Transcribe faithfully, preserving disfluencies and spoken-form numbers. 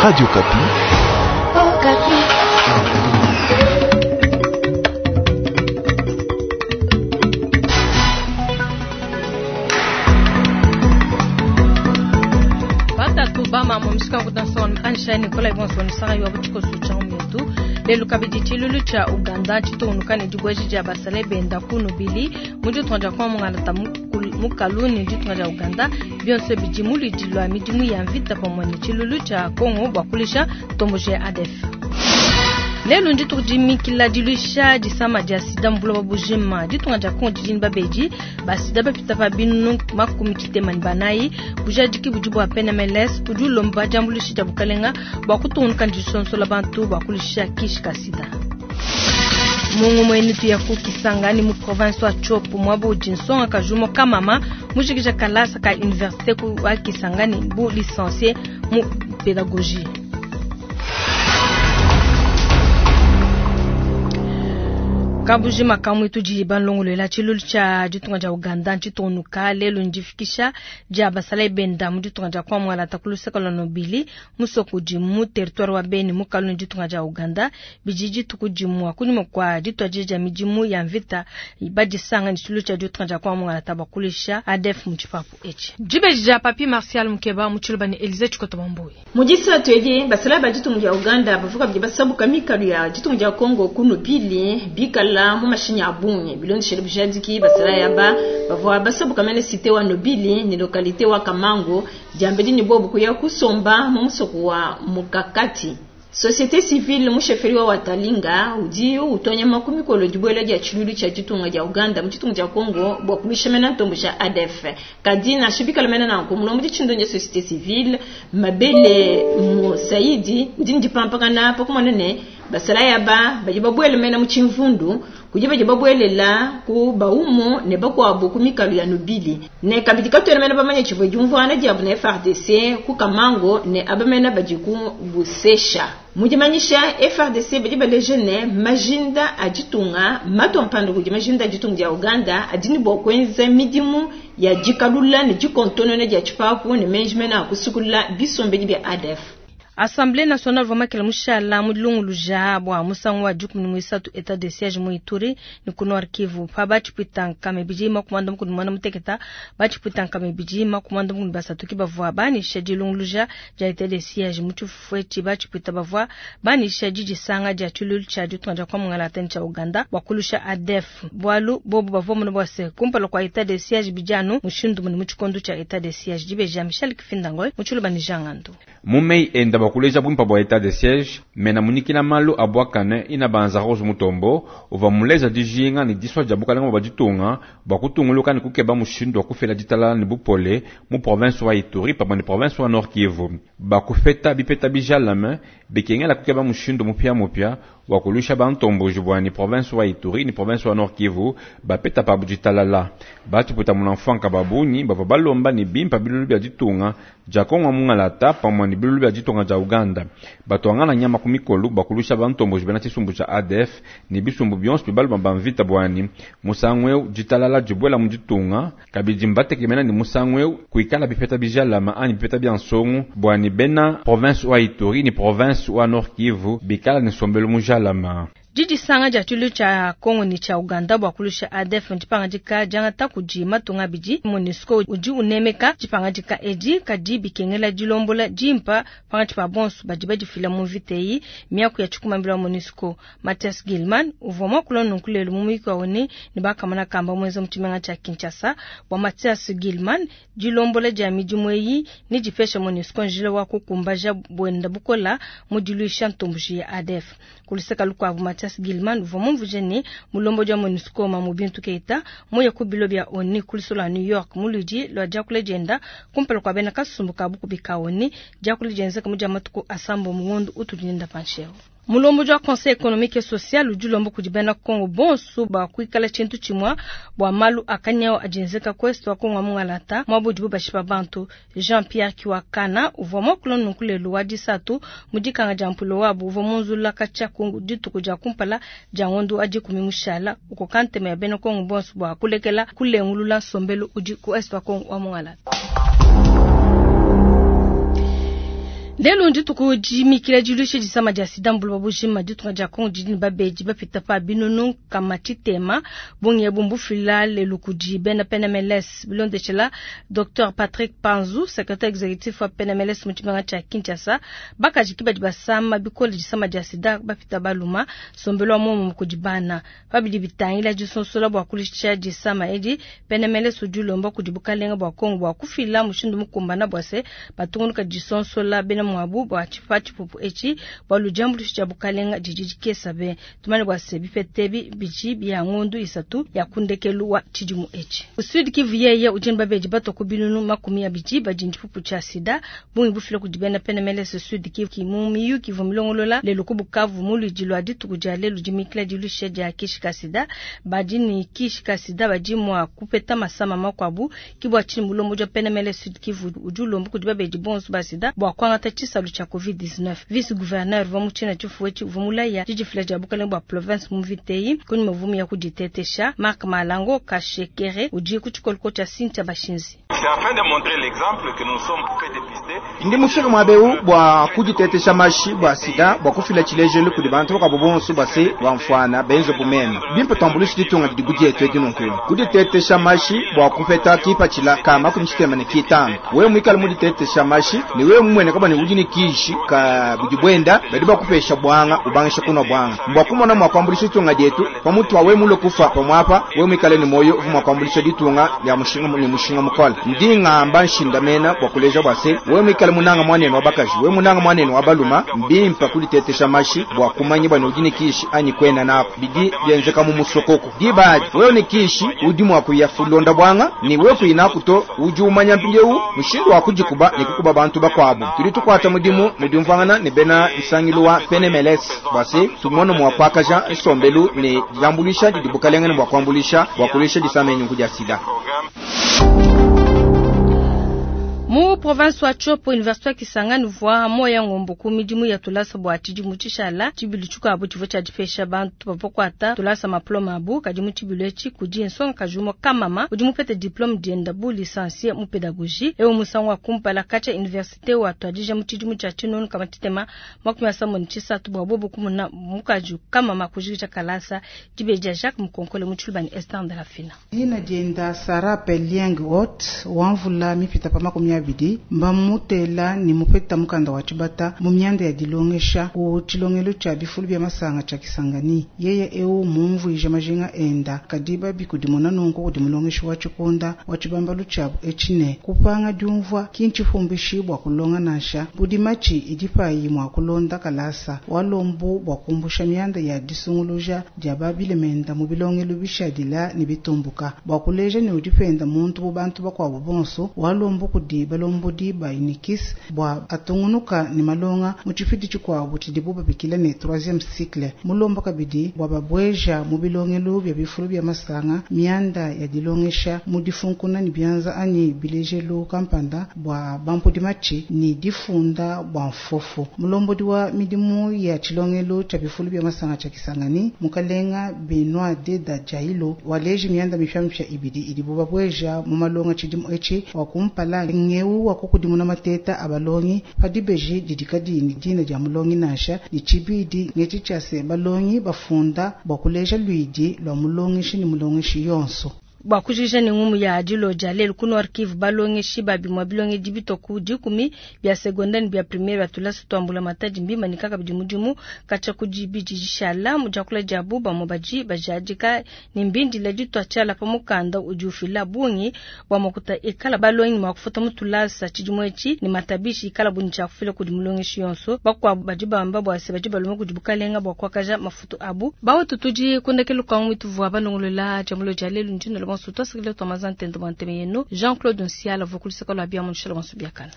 Radio Okapi. Okapi. Batatu bamama musika kutanson ansha Nicolas Ibonson sanga yo buchiko sucha umuntu lelo kabidi chilulu cha Uganda chitonuka ne dibweji dia basale benda kunu bili muju tonja kwa mungana ta mukalu ne ditunga dia Uganda bionso bidi muludi lwa midimu ya mvita pamwe ne chilulu cha Congo bwa kulisha tomboje A D F. Lelo ndituku dimikila diluisha disama dia sida mu bujima ditunga dia Congo didini babedi ba sida bapita pa binu makumi tshitema ne banayi bujadiki budi bua P N M L S budi ulomba diambuluisha dia bukalenga bua kutungunuka ne disonsola bantu bua kulisha kishi ka sida. Mungu mwenu tuya ku Kisangani mu province wa Tshopo mwabo udi nsonga kajumo kamama mujikija kalasa ka université ku wa Kisangani bu licencié mu pédagogie. Kabuji makamu itu balongolela tshilulu tshia ditunga dia Uganda ntshitonuka lelo ndifikisha dia basala benda mu ditunga dia Kwamwala takuluseka lwa Nobili musoko udi mu territoire wa Beni mukalu ne ditunga dia Uganda bidi dituku dimua kunyima kua dituadija dia midimu ya mvita badisanga ne tshilulu tshia ditunga dia Kwamwala tabakulisha A D F mu tshipapu etshi. Dibeji dia Papi Martial Mukeba mu tshiluba ne Elise Tshikoto Bambuyi. Mu disatu edi basala ba ditunga dia Uganda bavuka bidi basabuka mikalu ya ditunga dia Congo ku Nobili bikala la mu mashinya abunye bilondeshele bujadiki basala yaba bavua basabuka mene cité wa Nobili ni localité wa Kamango diambedi ni bobu kuya kusomba mu musoko wa Mukakati. Société civile musheferi wa Watalinga udi utonya makumi kolo dibwela dia tshilulu tshia ditunga dia Uganda mu ditunga dia Congo bua kulusha mena ntombo tshia A D F. Kadi na shibikala mena na nkumulombo ditshindonja société civile Mabele Musaidi udi ndipampakana pakumona ne basala yaba badi babwele mena mu tshimvundu kudi badi babwelela ku baumu ne bakuabu ku mikalu ya Nobili ne kabidi katwena mena bamanya tshivua diumvuana diabu na F R D C ku Kamango ne abamena badi ku Busesha. Mudimanyisha F R D C badi baleje ne majinda a ditunga matompando kudi majinda a ditunga dia Uganda adini bua kuenza midimu ya dikalula ne dikontonone dia tshipapu ne menji mena a kusukula bisombedi bia A D F. Assemblée nationale vamakela mushala mulunguluja bua musangu wa dikumi ne muisatu état de siège mu Ituri ne ku Nord Kivu pa batshipwita mibidi makumanda mukulu mwana muteketa batshipwita mibidi makumanda mukulu basatu ki bavua banisha dilunguluja dia état de siège mu tshifuetshi batshipwita bavua banisha didisanga dia tshilulu tshia ditunga dia Kwamungala teni tshia Uganda bua kulusha A D F bualu bobu bavua muna bua se kumpala kua état de siège bidianu mushindu mune mu tshikondo tshia état de siège dibeja Michel Kifindangoi mu tshiluba ne Jean Ngando. Mumei enda bakuleja bwimpa bwa état de siège mena munikila malu abwakane ina banza Rose Mutombo uva muleza dijinga ni diswa dia bukalenga bwa ditunga bwa kutunguluka ni kukeba mushindu wa kufela ditalala ni bupole mu province wa Ituri pamwe ni province wa Nord Kivu bakufeta bipeta bijalame bikengela kukeba mushindu mupya mupya wa kulusha bantomboji bwa ni province wa Ituri ni province wa Nord Kivu bapeta pabu ditalala batuputa munamfanka babunyi bava balomba ni bimpa bilulu bya ditunga dia Kongo mungalata pamwe ni bilulu bya ditunga dia Uganda batwangana nyama ku mikolu bakulusha bantomboji bena tshisumbu tshia A D F ni bisumbu bionso bibaluma bamvita bwani musangu ditalala dibwela mu ditunga kabidi mbatekemena ni musangu kuikala bipeta bijalama ani bipeta bya nsongo bwani bena province wa Ituri ni province wa Nord Kivu bikala ni sombelo mujalama. Didisanga dia tshilulu tshia Congo ni tshia Uganda bua kulusha A D F ndipangadika diangata kudi matunga abidi MONUSCO udi unemeka dipangadika edi kadi bikengela dilombola dimpa pangatshi pa bonso badi badifila mu mvita eyi miaku ya tshikumambila wa MONUSCO Mathias Gilman uvua muakula nunku lelu mu muyuki wa one ne bakamana kamba muenza mu tshimenga tshia Kinshasa bua Mathias Gilman dilombola dia midimu eyi ne dipesha MONUSCO njila wa kukumbaja buenda bukola mu diluisha ntomboji ya A D F kuluseka lukuabu Mathias Gilman uvua mumvuje ne mulombo dia MONUSCO Mamu Bintu Keita muye ku bilo bia O N U kuliso lwa New York muludi lwa diakula dienda kumpala kua bena kasumbu ka bukubi ka O N U diakula dienzeka mu dia matuku asambo mungondu utudi pansheo. Mulombo wa Conseil économique et social udi ulomba kudi bena Congo bonso ba kuikala tshintu tshimua bua malu akanyao adienzeka kwesto wa Congo mungalata mwabo dibu bashipa bantu Jean-Pierre Kiwakana uvua muakula nunku lelu wa disatu mu dikanga dia mpulo wabu uvua munzula katshia ku dituku dia kumpala dia ngondo adi kumi mushala ukoka ntema ya bena Congo bonso bua kulekela kulengulula nsombelu udi ku est wa Congo wa mungalata. Lelu ndituku dimikila diluisha disama dia sida mu buloba bujima. Ditunga dia Kongo didi ne babedi bapita pa binunu kama tshitema. Bungi ebu mbufila lelu kudi bena P N M L S. Bilondeshela Docteur Patrick Panzu, secrétaire exécutif wa P N M L S mu tshimenga tshia Kinshasa, bakaji ki badi basama bikole disama dia sida bapita baluma sombelo wa muomu kudi bana. Pabidi bitangila disonsola bua kulisha disama edi, P N M L S udi ulomba kudi bukalenga bua Kongo bua kufila mushindu mukumbana bua se batungunuka disonsola bena mwabu bua tshipa tshipupu etshi bua ludiambuluisha dia bukalenga didi dikesa be. Tumane bua se bipete bidi bia ngondu isatu ya kundekelu wa tshidimu etshi. Sud Kivu yeye udi ne babedi bato ku binunu makumi abidi badi ne tshipupu tshia sida bungi bufila kudi bena P N M L S Sud Kivu ki mu miyuki ivua milongolola lelu ku Bukavu mu luidi lua dituku dia lelu dimikila diluisha dia kishi ka sida. Badi ne kishi ka sida badi mua kupeta masama makuabu ki bua tshinyi mulombo dia P N M L S Sud Kivu udi ulomba kudi babedi bonso ba sida bua kuangata tshisalu tshia covid dix-neuf. Vice gouverneur wa mu tshina tshifuetshi uvua mulaya didifila dia bukalenge bua province mu Viteyi kuni mavumu ya kuditetesha. Marc Malango Kashekere udi ku tshikoloko tshia Cynthia Bashinzi. C'est afin de montrer l'exemple que nous sommes fait dépister. Ndi mufika mwabeu bua kuditetesha mashi bua sida bua kufila tshilejelu kudi bantu bakabo bonso base bamfwana benzo bumema. Bimpe twambulushi ditunga didi kudietu edi nunku. Kuditetesha mashi bua kupeta kipatshila ka makumi tshitema ne kitano. Wewe mwikale muditetesha mashi ni wewe mumwene kaba ni udi ni kishi ka budi bwenda badi bakupesha bwanga ubangisha kunwa bwanga. Mbwa kumona mwa kwambulisha ditunga dietu pamutu wa wewe mulo kufa pamwapa wewe mwikale ni moyo uvu mwa kwambulisha ditunga lya mushinga ni mushinga mukole. Ndi ngamba nshindamena bua kuleja bua se wewe mwikale munanga mwanenu wa bakaji wewe munanga mwanenu wa baluma mbimpa kuditetesha mashi bua kumanya bwa udi ni kishi anyi kwena nako bidi byenzeka mu musokoko. Dibadi wewe ni kishi udi mwa kuyafulonda bwanga ni wewe kuinakuto udi umanya mpindiewu mushindu wa kujikuba ni kukuba bantu bakwabo. Tudi tukwata mudimu mudimvangana ne bena nsangilu wa P N M L S bua se tumone mwa kwakaja nsombelu ne diambulisha didi bukalenge ne bua kuambulisha bua kulisha disama enyungu dia sida. Mu province wa Tshopo, université ya Kisangani vwa moya ngombo ku midimu ya tulasa bua tshidimu tshishala tshibilu tshikuabu tshivua tshia dipesha bantu bavua kuata tulasa maploma abu kadi mu tshibilu etshi kudi nsonga kajumo kamama udi mupete diplome dienda bu licencié mu pédagogie ewu musangu wa kumpala katshia université wa tuadija mu tshidimu tshia tshinunu kama tshitema makumi asambombo ne tshisatu bua bobo kumuna mukaji kamama kujikija kalasa dibeja Jacques Mukonkole mu tshiluba ne Esther Ndalafina. Dina dienda Sarah Pelieng Ot wamvula mipita pa makumi abidi mbamutela ni mupeta mukanda wa tshibata mu myanda ya dilongesha ku tshilongelo tshia bifulu bya masanga tshia Kisangani. Yeye eu mumvuije majinga enda kadi babi kudimona nunku kudi mulongeshi wa tshikonda wa tshibambalu tshiabu etshine kupanga diumvua kintshiphumbishi bua kulonga nansha budi matshi idi payi mua kulonda kalasa walombu bua kumbusha myanda ya disunguluja dia babilemenda mu bilongelo bishadila ne bitumbuka bua kuleja ne udipenda muntu bu bantu bakuabu bonso walombu kudi balombodi ba Unikis bua atungunuka ne malonga mu tshipidi tshikuabu tshidibu babikila ne troisième cycle mulomba kabidi bua babweja mu bilongelo bya bifulu bya masanga mianda ya dilongesha mu difunkuna ne bianza anyi bilejelu kampanda bua bampudi matshi ni difunda bua mfofu. Mulombodi wa midimu ya tshilongelo tshia bifulu bya masanga tshia Kisangani mukalenga Benoit Deda Jailo waleji mianda mipya ibidi idibu babweja mu malonga tshidimu etshi wa kumpala ngeu wa kukudimuna mateta abalongi padibeji didikadi ni dina dia mulongi nansha ni tshibidi ngetshi tshia se balongi bafunda bua kuleja luidi lwa mulongeshi ni mulongeshi yonso. Bua kujija ne ngumu ya dilo dia lelu ku Nord Kivu balongeshi babimwa bilonge bitoku dikumi bya secondaire bya primaire bya tulasa twambula matadi mbima ni kaka bidi mudimu kacha kudibidi dishala mu diakula dia buba mu baji bajadika ni mbindi la ditwa tshala pa mukanda udi ufila bungi bua makuta ekala balongi mwa kufuta mu tulasa tshidimu etshi ni matabishi ikala buni tshia kufila kudi mulongeshi yonso bakwabu badi bamba bua se badi baloma kudi bukalenga bua kuakaja mafutu abu bawo tudi kundekelu kwa mwitu vua balongolola jamulo dia lelu ndino Jean-Claude Nsiala vokulisaka lwa bia munshela wansu biakana.